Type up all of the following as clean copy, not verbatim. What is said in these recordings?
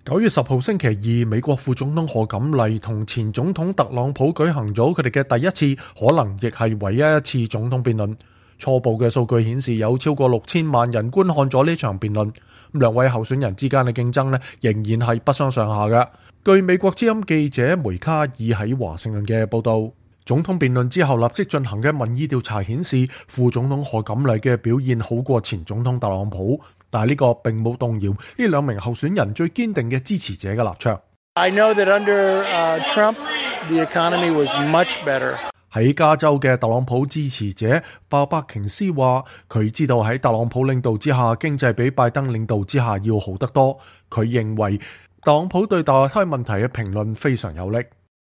9月10號星期二，美國副總統賀錦麗同前總統特朗普舉行咗佢哋嘅第一次，可能亦係唯一一次總統辯論。初步嘅數據顯示有超過6000萬人觀看咗呢場辯論。兩位候選人之間嘅競爭呢，仍然係不相上下嘅。據美國之音記者梅卡爾喺華盛頓嘅報道，總統辯論之後立即進行嘅民意調查顯示，副總統賀錦麗嘅表現好過前總統特朗普。但係呢個並冇動搖呢兩名候選人最堅定嘅支持者嘅立場。I know that under Trump, the economy was much better. 喺加州嘅特朗普支持者鮑伯瓊斯話，佢知道喺特朗普領導之下，經濟比拜登領導之下要好得多。佢認為特朗普對墮胎問題嘅評論非常有力。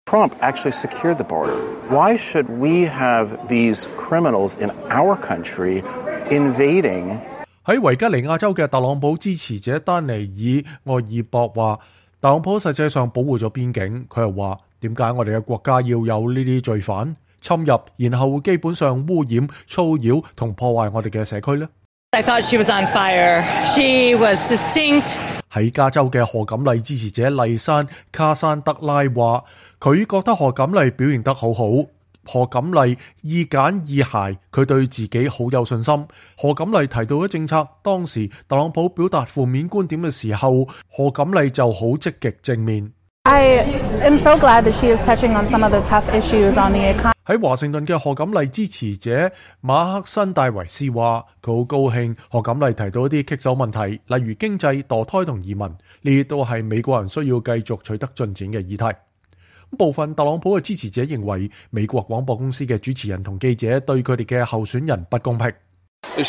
Trump actually secured the border. Why should we have these criminals in our country invading?喺維吉尼亞州嘅特朗普支持者丹尼爾·愛爾博話，特朗普實際上保護咗邊境。佢又話，點解我哋嘅國家要有呢啲罪犯侵入，然後基本上污染、騷擾同破壞我哋嘅社區呢？ I thought she was on fire. She was succinct. 喺加州嘅賀錦麗支持者麗珊·卡山德拉話，佢覺得賀錦麗表現得好好。賀錦麗意簡意賅，佢對自己好有信心。賀錦麗提到嘅政策，當時特朗普表達負面觀點嘅時候，賀錦麗就好積極正面。I am so glad that she is touching on some of the tough issues on the economy. 喺華盛頓嘅賀錦麗支持者馬克辛戴維斯話，佢好高興賀錦麗提到一啲棘手問題，例如經濟、墮胎同移民，呢啲都係美國人需要繼續取得進展嘅議題。部分特朗普嘅支持者認為，美國廣播公司嘅主持人同記者對佢哋嘅候選人不公平。喺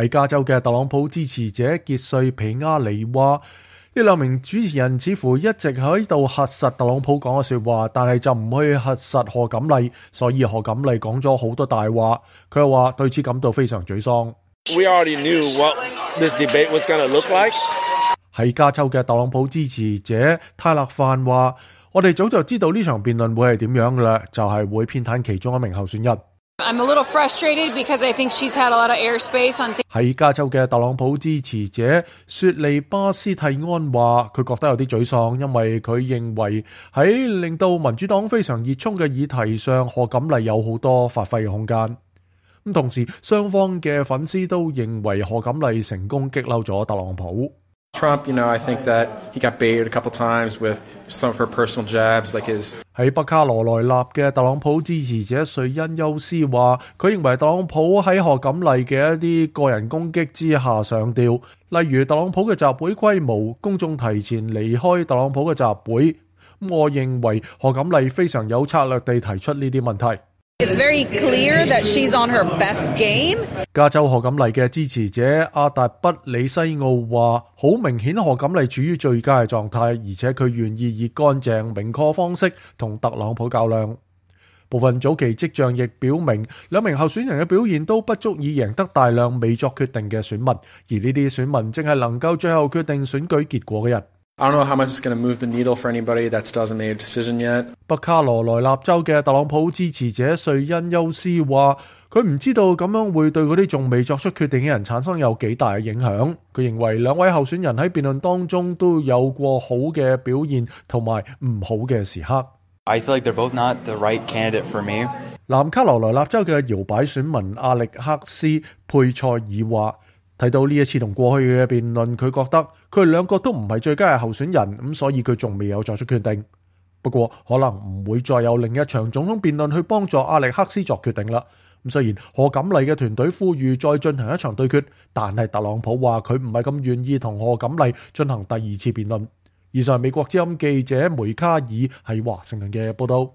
加州嘅特朗普支持者傑瑞皮亞里話，呢兩名主持人似乎一直喺度核實特朗普講嘅說話，但係就唔去核實賀錦麗，所以賀錦麗講咗好多大話。佢又話對此感到非常沮喪。We already knew what this debate was going to look like. 喺加州嘅特朗普支持者泰勒范話，我哋早就知道呢場辯論會係點樣嘅啦，就係會偏袒其中一名候選人。I'm a little frustrated because I think she's had a lot of airspace on. 喺加州嘅特朗普支持者雪利巴斯蒂安話，佢覺得有啲沮喪，因為佢認為喺令到民主黨非常熱衷嘅議題上，賀錦麗有好多發揮嘅空間。咁同時，雙方嘅粉絲都認為賀錦麗成功激嬲咗特朗普。Trump, I think that he got baited a couple times with some of her personal jabs, like his. 喺北卡羅來納嘅特朗普支持者瑞恩休斯話，佢認為特朗普喺賀錦麗嘅一啲個人攻擊之下上吊，例如特朗普嘅集會規模、公眾提前離開特朗普嘅集會。我認為賀錦麗非常有策略地提出呢啲問題。It's very clear that she's on her best game. 加州賀錦麗嘅支持者阿達不里西奧話，好明顯賀錦麗處於最佳嘅狀態，而且佢願意以乾淨明確方式同特朗普較量。部分早期跡象亦表明，兩名候選人嘅表現都不足以贏得大量未作決定嘅選民，而呢啲選民正係能夠最後決定選舉結果嘅人。I don't know how much it's going to move the needle for anybody that still hasn't made a decision yet. 北卡羅來納州嘅特朗普支持者瑞恩休斯話，佢唔知道咁樣會對嗰啲仲未作出決定嘅人產生有幾大嘅影響。佢認為兩位候選人喺辯論當中都有過好嘅表現同埋唔好嘅時刻。I feel like they're both not the right candidate for me. 南卡羅來納州嘅搖擺選民阿力克斯佩塞爾話，睇到呢一次同過去嘅辯論，佢覺得佢哋兩個都唔係最佳嘅候選人，咁所以佢仲未有作出決定。不過可能唔會再有另一場總統辯論去幫助阿力克斯作決定啦。咁雖然賀錦麗嘅團隊呼籲再進行一場對決，但係特朗普話佢唔係咁願意同賀錦麗進行第二次辯論。以上係美國之音記者梅卡爾喺華盛頓嘅報道。